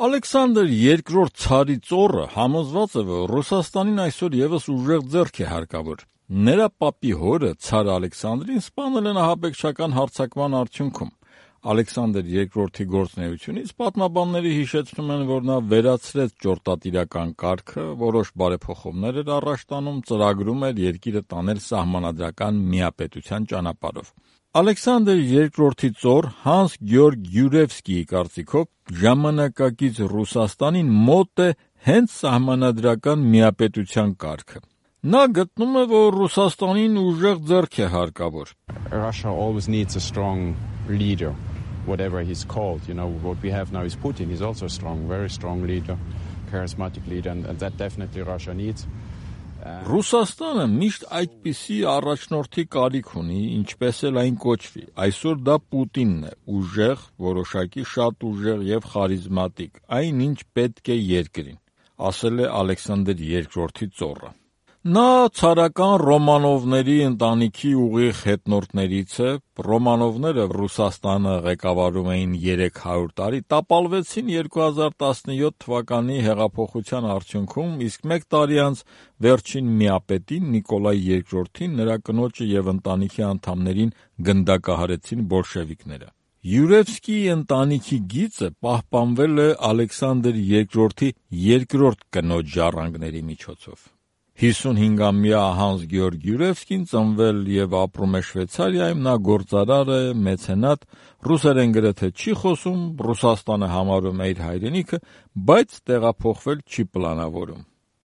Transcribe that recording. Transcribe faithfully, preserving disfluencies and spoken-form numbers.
Ալեքսանդր երկրորդ ցարի ծոռը համոզված է, որ Ռուսաստանին այսօր եւս ուժեղ ձեռք է հարկավոր։ Նրա պապի հորը ցար Ալեքսանդրին սպանել են ահաբեկչական հարձակման արդյունքում։ Ալեքսանդր երկրորդի գործունեությունից պատմաբանները հիշեցնում են, որ նա վերացրեց ճորտատիրական կարգը, որոշ բարեփոխումներ էր առաջ տանում, ծրագրում էր երկիրը տանել սահմանադրական միապետության ճանապարհով։ Ալեքսանդր երկրորդի ծոռ Հանս Գյորգ Յուրևսկիի կարծիքով ժամանակակից Ռուսաստանին մոտ է հենց սահմանադրական միապետության կարգը։ Նա գտնում է, որ Ռուսաստանին ուժեղ ձեռք է հարկավոր։ Russia always needs a strong leader, whatever he's called. You know, what we have now is Putin. He's also a strong, very strong leader, charismatic leader, and, and that definitely Russia needs. Ռուսաստանը միշտ այդպիսի առաջնորդի կարիք ունի, ինչպես էլ այն կոչվի։ Այսօր դա Պուտինն է, ուժեղ, որոշակի շատ ուժեղ եւ խարիզմատիկ, այն ինչ պետք է երկրին, ասել է Ալեքսանդր երկրորդի ծոռը։ Նա ցարական Ռոմանովների ընտանիքի ուղիղ հետնորդներից է։ Ռոմանովները Ռուսաստանը ղեկավարում էին երեք հարյուր տարի, տապալվեցին երկու հազար տասնյոթ թվականի հեղափոխության արդյունքում, իսկ մեկ տարի անց վերջին միապետին Նիկոլայ երկրորդին, նրա կնոջը եւ ընտանիքի անդամներին գնդակահարեցին բոլշևիկները։ Յուրևսկիի ընտանիքի գիծը պահպանվել է Ալեքսանդր երկրորդի երկրորդ կնոջ ժառանգների միջոցով։ հիսունհինգամյա Հանս Գյորգ Յուրևսկին ծնվել եւ ապրում է Շվեյցարիայում, նա գործարար է, մեցենատ, ռուսերեն գրեթե չի խոսում, Ռուսաստանը համարում է իր հայրենիքը, բայց տեղափոխվել չի պլանավորում։